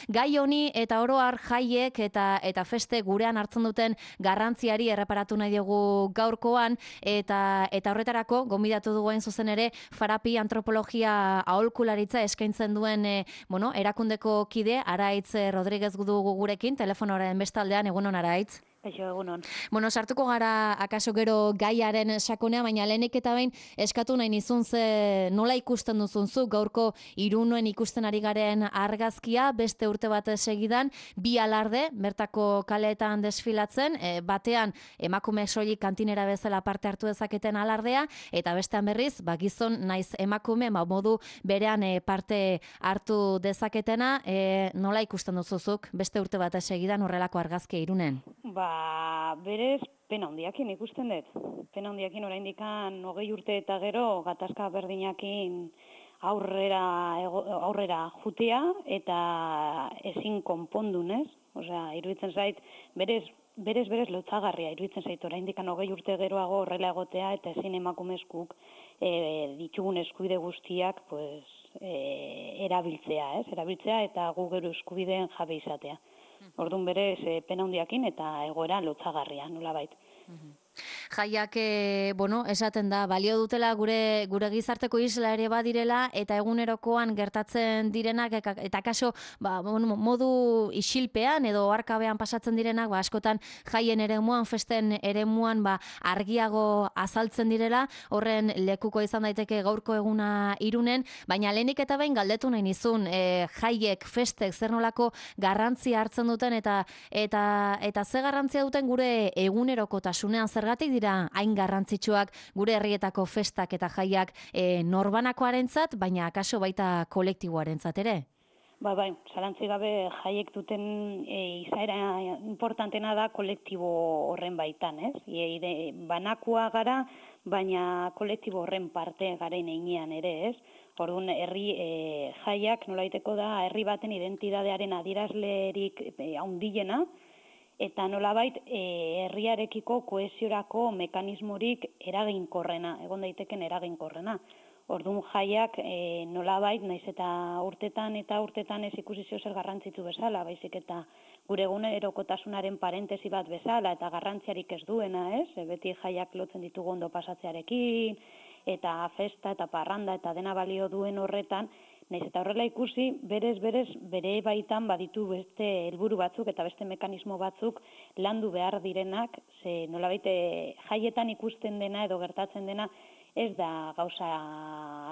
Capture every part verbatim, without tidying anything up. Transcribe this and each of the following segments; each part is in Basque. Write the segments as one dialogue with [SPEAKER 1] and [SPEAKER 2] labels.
[SPEAKER 1] gai honi eta oro har jaiek eta eta feste gurean hartzen duten garrantziari erreparatu nahi dugu gaurkoan eta eta horretarako gonbidatu dugu hain zuzen ere Farapi antropologia aholkularitza eskaintzen duen e, bueno, erakundeko kide Araitz Rodriguez dugu gurekin telefonoaren bestaldean. Egunon, Araitz.
[SPEAKER 2] Eixo, egunon.
[SPEAKER 1] Bueno, sartuko gara akaso gero gaiaren sakonea, baina lehenik eta behin eskatu nahi nizun ze nola ikusten duzunzu gaurko Irunen ikusten ari garen argazkia, beste urte bat segidan, bi alarde, bertako kaleetan desfilatzen, e, batean emakume soilik kantinera bezala parte hartu dezaketen alardea, eta bestean berriz, ba, gizon naiz emakume, ba, modu berean e, parte hartu dezaketena, e, nola ikusten duzuzuk beste urte bat segidan horrelako argazkia Irunen?
[SPEAKER 2] Ba, berez, pena handiakin ikusten dut. Pena handiakin oraindikan hogei urte eta gero gatazka berdinakin aurrera ego, aurrera jutea eta ezin konpondunez. Osea, iruditzen zait, berez, berez, berez lotzagarria iruditzen zait oraindikan hogei urte geroago horrela egotea eta ezin emakumezkuk e, ditugun eskubide guztiak pues, e, erabiltzea, ez? Erabiltzea eta gu gero eskubideen jabe izatea. Orduan berez e, pena handiakin eta egoera lotzagarria, nolabait.
[SPEAKER 1] Jaiak, e, bueno, esaten da, balio dutela gure gure gizarteko isla ere badirela eta egunerokoan gertatzen direnak eta kaso ba, modu isilpean edo arkabean pasatzen direnak, ba, askotan jaien eremuan, festen eremuan ba, argiago azaltzen direla, horren lekuko izan daiteke gaurko eguna Irunen, baina lehenik eta behin galdetu nahi nizun, e, jaiek, festek, zer nolako garrantzia hartzen duten eta eta eta ze garrantzia duten gure egunerokotasunean, zergatik dira hain garrantzitsuak gure herrietako festak eta jaiak e, norbanakoarentzat, baina akaso baita kolektiboarentzat ere?
[SPEAKER 2] Ba, bai, zalantzi gabe jaiek duten e, izaera importantena da kolektibo horren baitan, ez? E, de, banakoa gara, baina kolektibo horren parte garen einean ere, ez? Orduan, herri e, jaiak nolaiteko da herri baten identitatearen adierazlerik e, handiena, eta nolabait e, herriarekiko kohesiorako mekanismorik eraginkorrena, egon daiteken eraginkorrena. Orduan jaiak e, nolabait, naiz eta urtetan eta urtetan ez ikusi zio zer garrantzitu bezala, baizik eta gure egunerokotasunaren parentesi bat bezala eta garrantziarik ez duena, ez? E, beti jaiak lotzen ditugu ondo pasatzearekin, eta festa eta parranda eta dena balio duen horretan, naiz eta horrela ikusi, berez, berez, bere baitan baditu beste helburu batzuk eta beste mekanismo batzuk landu behar direnak, ze nolabait jaietan ikusten dena edo gertatzen dena ez da gauza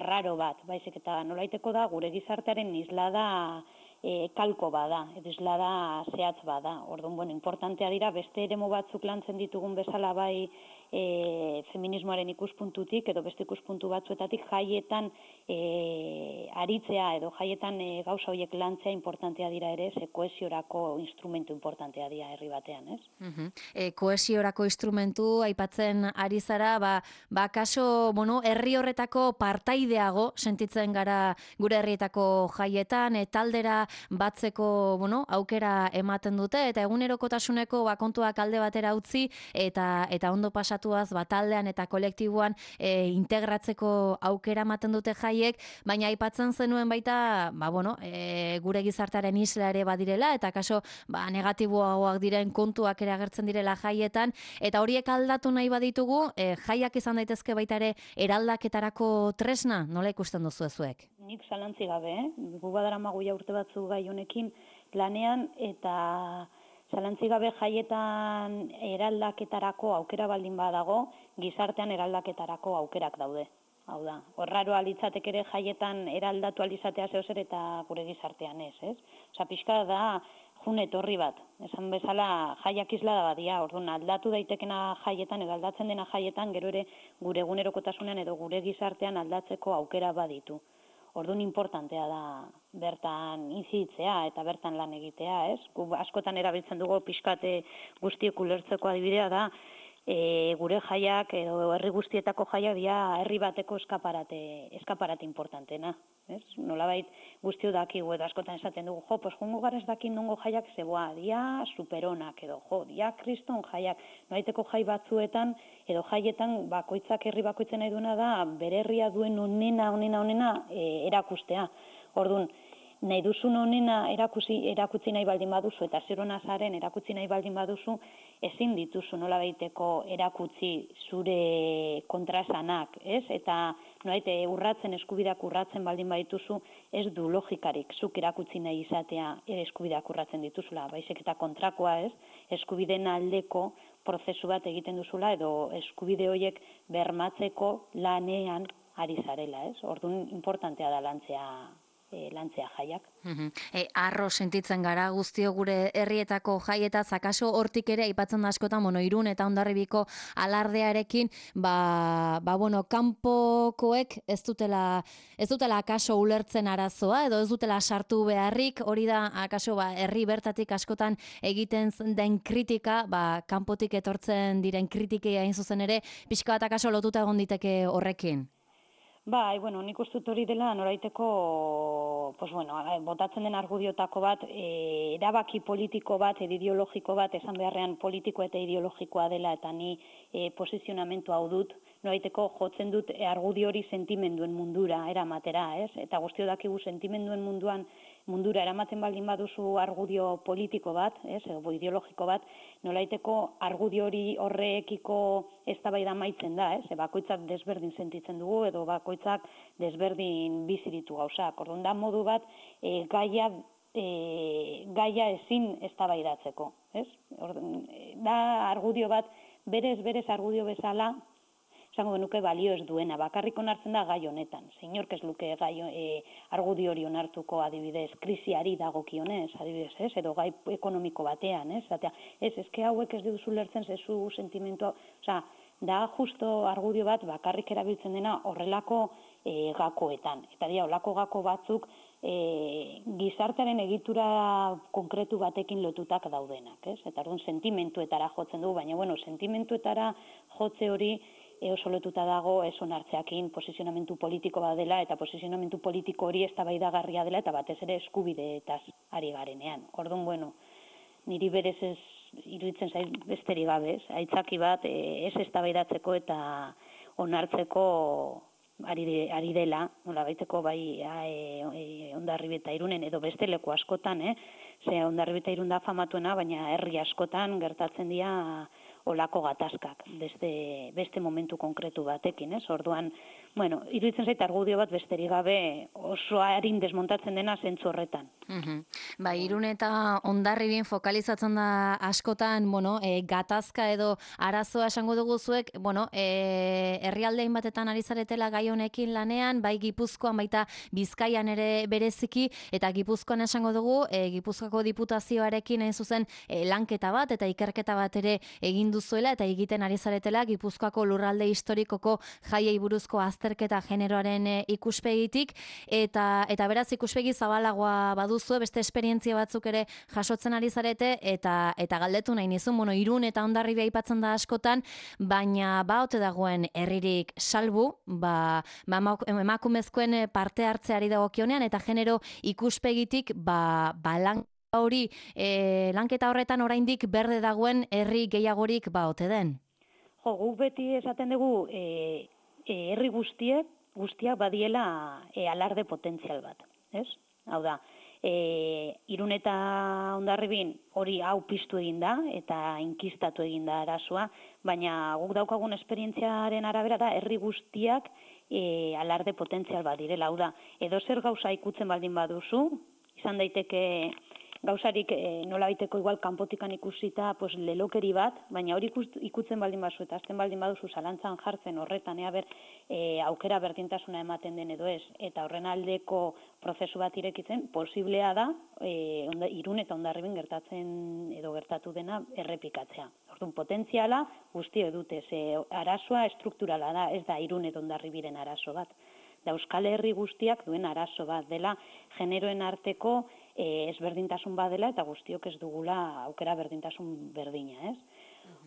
[SPEAKER 2] raro bat, baizik eta nolaiteko da gure gizartearen islada e, kalko bada, edo islada zehatz bada. Orduan, bueno, importantea dira beste eremu batzuk lantzen ditugun bezala bai e, feminismoaren ikuspuntutik edo beste ikuspuntu batzuetatik jaietan e, aritzea edo jaietan e, gauza horiek lantzea importantea dira ere, ze kohesiorako instrumentu importantea dira herri batean, ez?
[SPEAKER 1] Uh-huh. E, kohesiorako instrumentu aipatzen ari zara, ba, ba kaso, bueno, herri horretako partaideago sentitzen gara gure herrietako jaietan, e, taldera batzeko, bueno, aukera ematen dute eta egunerokotasuneko ba kontuak alde batera utzi eta eta ondo pasatuaz ba taldean eta kolektiboan e, integratzeko aukera ematen dute jaiek, baina aipatzen zenuen baita, ba bueno, e, gure gizartearen isla ere badirela eta kaso ba negatiboagoak diren kontuak ere agertzen direla jaietan eta horiek aldatu nahi baditugu, e, jaiak izan daitezke baita ere eraldaketarako tresna, nola ikusten duzu zuek?
[SPEAKER 2] Nik zalantzi gabe, eh? Gu badaramagu ja urte batzu gai honekin lanean eta zalantzi gabe jaietan eraldaketarako aukera baldin badago, gizartean eraldaketarako aukerak daude. Hau da, horraro alitzatek ere jaietan eraldatu alizatea zeozer eta gure gizartean ez, ez? Osa, pixka da june etorri bat, esan bezala jaiak isla da badia, orduan aldatu daitekena jaietan, edo aldatzen dena jaietan, gero ere gure egunerokotasunean edo gure gizartean aldatzeko aukera baditu. Orduan importantea da bertan inzitzea eta bertan lan egitea, ez? Gu askotan erabiltzen dugu pixkate guztiek ulertzeko adibidea da, e, gure jaiak edo herri guztietako jaiak dira herri bateko eskaparate, eskaparate importantena. Ez? Nolabait guztio dakigu edo askotan esaten dugu, jo, pues jongo gara ez dakin nongo jaiak zeboa, dia superonak edo, jo, dia kriston jaiak, nolaiteko jai batzuetan edo jaietan bakoitzak herri bakoitzen nahi duena da bere herria duen onena, onena, onena e, erakustea. Orduan, nahi duzun honena erakutsi, erakutsi nahi baldin baduzu, eta zer hona zaren erakutsi nahi baldin baduzu, ezin dituzu nola baiteko erakutsi zure kontrasanak, ez? Eta noaite urratzen, eskubidak urratzen baldin badituzu, ez du logikarik, zuk erakutsi nahi izatea eskubidak urratzen dituzula, baizik eta kontrakoa, ez? Eskubideen aldeko prozesu bat egiten duzula, edo eskubide horiek bermatzeko lanean ari zarela, ez? Orduan importantea da lantzea E, lantzea jaiak.
[SPEAKER 1] Uh-huh. E, arro sentitzen gara guztio gure herrietako jaietaz, akaso hortik ere aipatzen da askotan, bueno, Irun eta Hondarribiko alardearekin, ba, ba bueno, kanpokoek ez dutela, ez dutela akaso ulertzen arazoa, edo ez dutela sartu beharrik, hori da akaso ba, herri bertatik askotan egiten den kritika, ba, kanpotik etortzen diren kritikei hain zuzen ere, pixka bat akaso lotuta egon diteke horrekin.
[SPEAKER 2] Bai, bueno, nik uste hori dela noraiteko, pues bueno, botatzen den argudiotako bat, e, erabaki politiko bat, ideologiko bat, esan beharrean politiko eta ideologikoa dela, eta ni e, posizionamentu hau dut, noraiteko jotzen dut argudio hori sentimenduen mundura eramatera, ez? Eta guztio dakigu sentimenduen munduan mundura eramaten baldin baduzu argudio politiko bat, ez, edo ideologiko bat, nolaiteko argudio hori horrekiko eztabaida amaitzen da, ez? Bakoitzak desberdin sentitzen dugu edo bakoitzak desberdin bizi ditu gauzak. Orduan da modu bat e, gaia e, gaia ezin eztabaidatzeko, ez? Orduan da argudio bat berez berez argudio bezala esango genuke balio ez duena, bakarrik onartzen da gai honetan. Zeinork ez luke gai e, argudio hori onartuko adibidez, krisiari dagokionez, adibidez, ez? Edo gai ekonomiko batean, ez? Zatea, ez, eske hauek ez duzu lertzen zezu sentimentua, osea, da justo argudio bat bakarrik erabiltzen dena horrelako e, gakoetan. Eta dira, horrelako gako batzuk e, gizartearen egitura konkretu batekin lotutak daudenak, ez? Eta orduan sentimentuetara jotzen du, baina bueno, sentimentuetara jotze hori oso lotuta dago ez onartzeakin posizionamentu politiko bat dela, eta posizionamentu politiko hori eztabaidagarria dela, eta batez ere eskubideetaz ari garenean. Orduan, bueno, niri berez ez iruditzen zait besterik gabe, ez? Aitzaki bat ez eztabaidatzeko eta onartzeko ari, de, ari dela, nola baiteko bai e, e, Hondarribi eta Irunen edo beste leku askotan, eh? Ze Hondarribi eta Irun da famatuena, baina herri askotan gertatzen dira olako gatazkak, beste, beste momentu konkretu batekin, ez? Orduan, bueno, iruditzen zait argudio bat besterik gabe oso harin desmontatzen dena zentzu horretan.
[SPEAKER 1] Uh-huh. Ba, Irun eta Hondarribin fokalizatzen da askotan, bueno, e, gatazka edo arazoa esango dugu zuek, bueno, e, herrialdein batetan ari zaretela gai honekin lanean, bai Gipuzkoan baita Bizkaian ere bereziki, eta Gipuzkoan esango dugu, e, Gipuzkoako diputazioarekin hain zuzen e, lanketa bat eta ikerketa bat ere egin duzuela eta egiten ari zaretela Gipuzkoako lurralde historikoko jaiei buruzko azterketa generoaren e, ikuspegitik, eta eta beraz ikuspegi zabalagoa baduzue, beste esperientzia batzuk ere jasotzen ari zarete, eta eta galdetu nahi nizun, bueno, Irun eta Hondarribia aipatzen da askotan, baina ba ote dagoen herririk salbu, ba, ba emakumezkoen parte hartzeari dagokionean eta genero ikuspegitik ba, ba lan hori, e, lanketa horretan oraindik berde dagoen herri gehiagorik ba ote den?
[SPEAKER 2] Jo, guk beti esaten dugu e, e, herri guztiek, guztiak badiela e, alarde potentzial bat, ez? Hau da, e, Irun eta Hondarribin hori hau piztu egin da eta inkistatu egin da arazoa, baina guk daukagun esperientziaren arabera da herri guztiak e, alarde potentzial bat direla, hau da, edo zer gauza ikutzen baldin baduzu, izan daiteke gauzarik e, nola baiteko igual kanpotikan ikusita pues, lelokeri bat, baina hori ikutzen baldin baduzu eta azten baldin baduzu zalantzan jartzen horretan, ea ber, e, aukera berdintasuna ematen den edo ez, eta horren aldeko prozesu bat irekitzen, posiblea da e, onda, Irun eta Hondarribin gertatzen edo gertatu dena errepikatzea. Orduan, potentziala guztio dute, ze arazoa estrukturala da, ez da Irun eta Hondarribiren arazo bat. Da Euskal Herri guztiak duen arazo bat dela generoen arteko e, ezberdintasun badela eta guztiok ez dugula aukera berdintasun berdina, ez?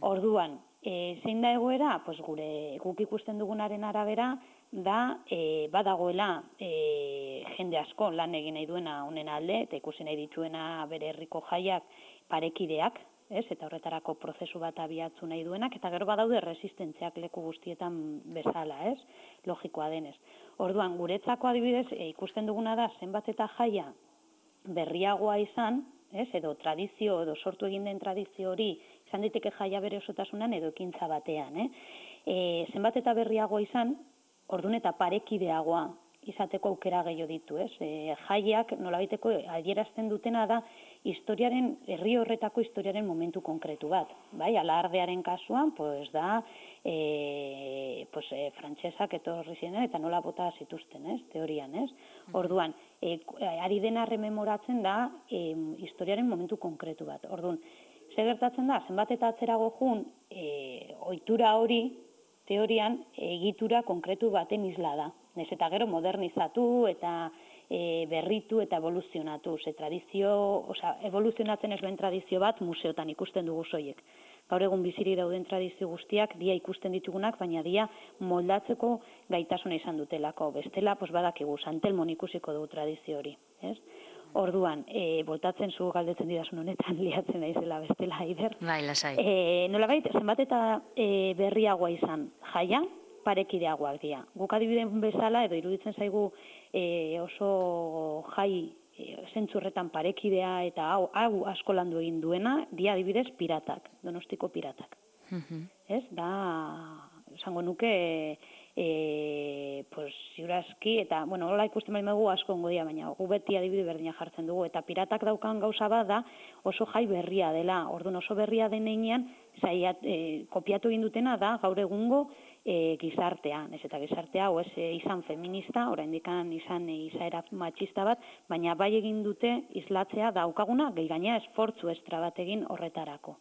[SPEAKER 2] Orduan, e, zein da egoera? Pues gure guk ikusten dugunaren arabera da e, badagoela e, jende asko lan egin nahi duena honen alde eta ikusi nahi dituena bere herriko jaiak parekideak, ez? Eta horretarako prozesu bat abiatzu nahi duenak, eta gero badaude resistentziak leku guztietan bezala, ez? Logikoa denez. Orduan, guretzako adibidez, e, ikusten duguna da zenbat eta jaia berriagoa izan, ez, edo tradizio, edo sortu egin den tradizio hori, izan daiteke jaia bere osotasunan edo ekintza batean, eh? E, zenbat eta berriagoa izan, ordun eta parekideagoa izateko aukera gehiago ditu, ez? E, jaiak nolabaiteko adierazten dutena da historiaren, herri horretako historiaren momentu konkretu bat, bai? Alardearen kasuan, pues da, e, pues, e, frantsesak etorri ziren eta nola bota zituzten, ez? Teorian, ez? Orduan, e, ari dena rememoratzen da e, historiaren momentu konkretu bat. Orduan, zer gertatzen da, zenbat eta atzerago jun, e, ohitura hori, teorian, egitura konkretu baten isla da. Nez eta gero modernizatu eta e, berritu eta evoluzionatu. Ze tradizio, osea, evoluzionatzen ez duen tradizio bat museotan ikusten dugu soiek. Gaur egun bizirik dauden tradizio guztiak dia ikusten ditugunak, baina dia moldatzeko gaitasuna izan dutelako. Bestela, pues badakigu, Santelmon ikusiko dugu tradizio hori, ez? Orduan, e, botatzen zu galdetzen didazun honetan liatzen naizela bestela Aider.
[SPEAKER 1] Bai, lasai.
[SPEAKER 2] E, nolabait, zenbat eta e, berriagoa izan jaia, parekideagoak dira. Guk adibideen bezala, edo iruditzen zaigu e, oso jai e, zentzurretan parekidea eta hau, hau asko landu egin duena, dia adibidez piratak, Donostiko piratak. Ez, da, esango nuke, e, pues, ziurazki, eta, bueno, hola ikusten baino dugu asko ongo dira, baina gu beti adibide berdina jartzen dugu, eta piratak daukan gauza bat da oso jai berria dela, orduan oso berria den heinean, zaiat, e, kopiatu egin dutena da gaur egungo e, gizartea, ez eta gizartea, o ez e, izan feminista, oraindikan izan e, izaera matxista bat, baina bai egin dute islatzea daukaguna, gehi gaina esfortzu estra bat egin horretarako.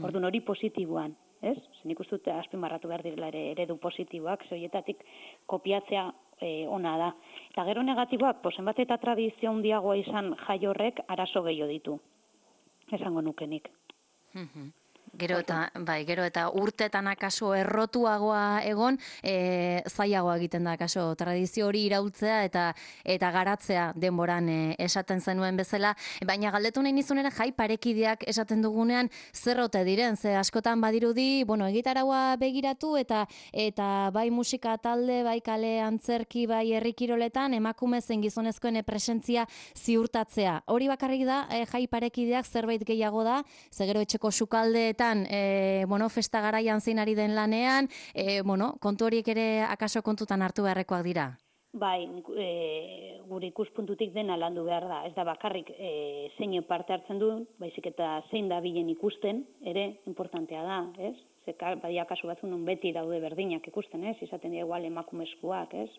[SPEAKER 2] Orduan hori positiboan, ez? Zen ikustu azpimarratu behar direla ere eredu positiboak, zoietatik kopiatzea e, ona da. Eta gero negatiboak, posen bat eta tradizio handiagoa izan jai horrek arazo gehiago ditu, esango nukenik.
[SPEAKER 1] Gero eta, bai, gero eta urtetan akaso errotuagoa egon, e, zailagoa egiten da akaso tradizio hori iraultzea eta eta garatzea denboran e, esaten zenuen bezala, baina galdetu nahi nizun ere jai parekideak esaten dugunean zer ote diren, ze askotan badirudi, bueno, egitaraua begiratu eta eta bai musika talde, bai kale antzerki, bai herri kiroletan emakume zein gizonezkoen presentzia ziurtatzea. Hori bakarrik da e, jai parekideak zerbait gehiago da, ze gero etxeko sukaldeetan E, bueno, festa garaian zein ari den lanean, e, bueno, kontu horiek ere akaso kontutan hartu beharrekoak dira?
[SPEAKER 2] Bai, e, gure ikuspuntutik dena landu behar da. Ez da bakarrik e, zein parte hartzen du, baizik eta zein da bilen ikusten, ere importantea da, ez? Zeka, badia kasu batzun non beti daude berdinak ikusten, ez? Izaten dira igual emakumezkoak, ez?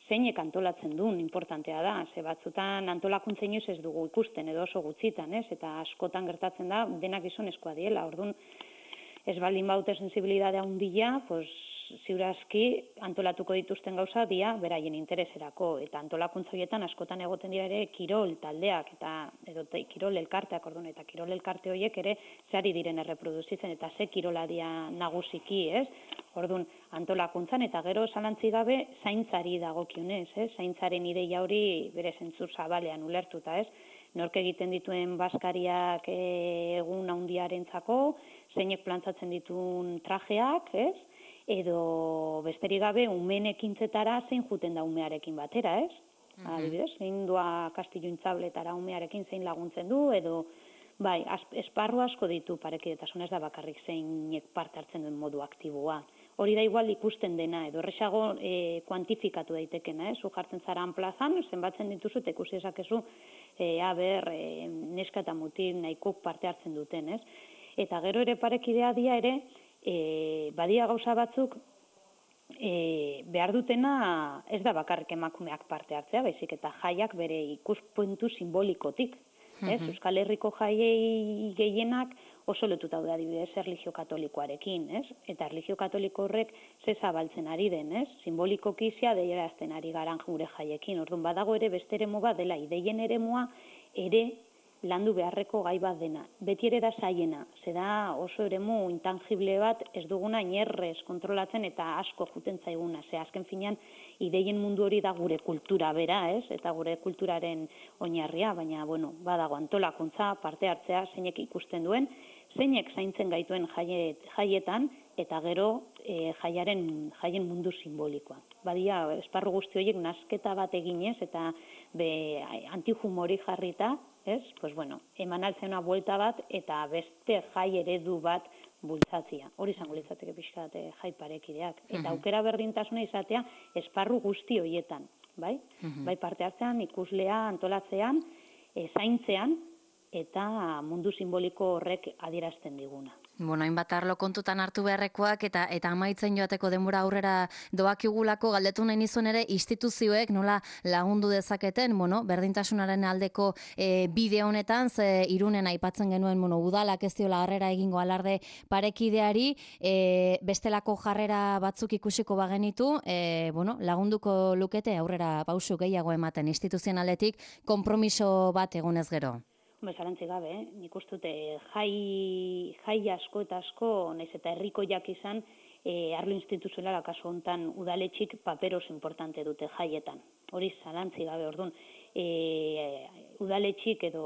[SPEAKER 2] Zeinek antolatzen duen, importantea da, ze batzutan antolakuntza inoiz ez dugu ikusten, edo oso gutxitan, ez? Eta askotan gertatzen da, denak gizonezkoa diela, orduan ez baldin baute sensibilidadea handia, pues, ziurazki antolatuko dituzten gauza dia beraien intereserako, eta antolakuntza horietan askotan egoten dira ere kirol taldeak, eta edo te, kirol elkarteak, orduan, eta kirol elkarte horiek ere zehari diren erreproduzitzen, eta ze kirola dia nagusiki, ez? Orduan, antolakuntzan eta gero zalantzi gabe zaintzari dagokionez, ez? Zaintzaren ideia hori bere zentzu zabalean ulertuta, ez? Nork egiten dituen baskariak egun handiarentzako, zeinek plantzatzen dituen trajeak, ez? Edo besterik gabe umeen ekintzetara zein juten da umearekin batera, ez? Mm -hmm. Adibidez, zein doa Kastillo Intzabletara umearekin zein laguntzen du, edo bai, esparru asko ditu parekidetasun, ez da bakarrik zeinek parte hartzen duen modu aktiboa. Hori da igual ikusten dena, edo erresago e, kuantifikatu daitekena, ez? Zu jartzen zaran plazan, zenbatzen dituzu eta ikusi ezakezu, e, aber, e, neska eta mutil nahiko parte hartzen duten, ez? Eta gero ere parekidea dia ere, e, badia gauza batzuk, e, behar dutena ez da bakarrik emakumeak parte hartzea, baizik eta jaiak bere ikuspuntu simbolikotik. Ez? Euskal Herriko jaiei gehienak oso lotuta daude adibidez erlijio katolikoarekin, ez? Eta erlijio katoliko horrek ze zabaltzen ari den, ez? Simbolikoki adierazten ari garan gure jaiekin. Orduan badago ere beste eremu bat dela ideien eremua ere landu beharreko gai bat dena. Beti ere da zaiena, ze da oso eremu intangible bat ez duguna inerrez kontrolatzen eta asko juten zaiguna. Ze azken finean ideien mundu hori da gure kultura bera, ez? Eta gure kulturaren oinarria, baina, bueno, badago antolakuntza, parte hartzea, zeinek ikusten duen, zeinek zaintzen gaituen jaiet, jaietan, eta gero e, jaiaren, jaien mundu simbolikoa. badia esparru guzti horiek nasketa bat eginez eta be antihumori jarrita, ez? Pues bueno, eman altzena buelta bat eta beste jai eredu bat bultzatzia. Hori izango litzateke pixka bat jai parekideak. Eta aukera berdintasuna izatea esparru guzti horietan, bai? Bai parte hartzean, ikuslea antolatzean, e, zaintzean, eta mundu simboliko horrek adierazten diguna.
[SPEAKER 1] Bueno, hainbat arlo kontutan hartu beharrekoak eta eta amaitzen joateko denbora aurrera doakigulako galdetu nahi nizuen ere instituzioek nola lagundu dezaketen, bueno, berdintasunaren aldeko e, bide honetan, ze Irunen aipatzen genuen, bueno, udalak ez diola harrera egingo alarde parekideari, e, bestelako jarrera batzuk ikusiko bagenitu, e, bueno, lagunduko lukete aurrera pausu gehiago ematen instituzionaletik konpromiso bat egonez gero.
[SPEAKER 2] Bezarantzi gabe, eh? Nik uste dute jai, jai asko eta asko, naiz eta herrikoiak izan, e, arlo instituzionala kasu hontan udaletxik paper oso importante dute jaietan. Hori zalantzi gabe, orduan, e, udaletxik edo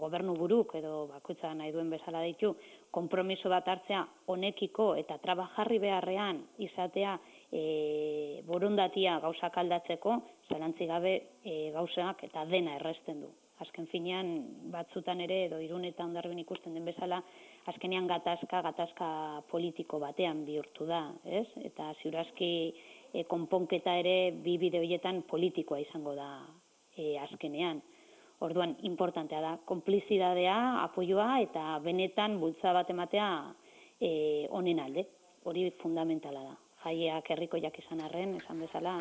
[SPEAKER 2] gobernu buruk edo bakoitza nahi duen bezala ditu, konpromiso bat hartzea honekiko eta trabajarri beharrean izatea e, borondatia gauzak aldatzeko, zalantzi gabe e, gauzak eta dena erresten du. Azken finean, batzutan ere, edo Irun eta Hondarribian ikusten den bezala, azkenean gatazka, gatazka politiko batean bihurtu da, ez? Eta ziurazki e, konponketa ere bi bide horietan politikoa izango da e, azkenean. Orduan, importantea da, konplizidadea, apoioa eta benetan bultza bat ematea e, honen alde. Hori fundamentala da. Jaiak herrikoiak izan arren, esan bezala,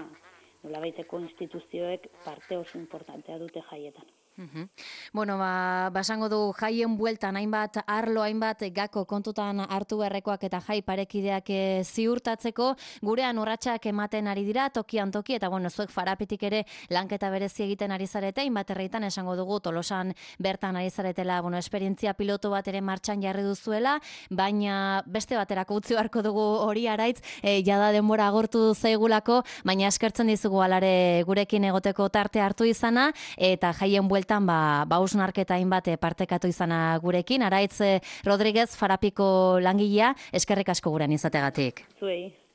[SPEAKER 2] nolabaiteko instituzioek parte oso importantea dute jaietan.
[SPEAKER 1] Uhum. Bueno, ba, basango du jaien bueltan hainbat arlo, hainbat gako kontutan hartu beharrekoak eta jai parekideak e, ziurtatzeko, gurean urratsak ematen ari dira, tokian toki, eta bueno, zuek Farapetik ere lanketa berezi egiten ari zarete, hainbat herritan esango dugu Tolosan bertan ari zaretela, bueno, esperientzia piloto bat ere martxan jarri duzuela, baina beste baterako utzi beharko dugu hori araitz, e, jada denbora agortu zaigulako, baina eskertzen dizugu alare gurekin egoteko tarte hartu izana, eta jaien bueltan ba, ba hausnarketa hainbat partekatu izana gurekin. Araitz Rodriguez, Farapiko langilea, eskerrik asko gurean izategatik.
[SPEAKER 2] Zuei.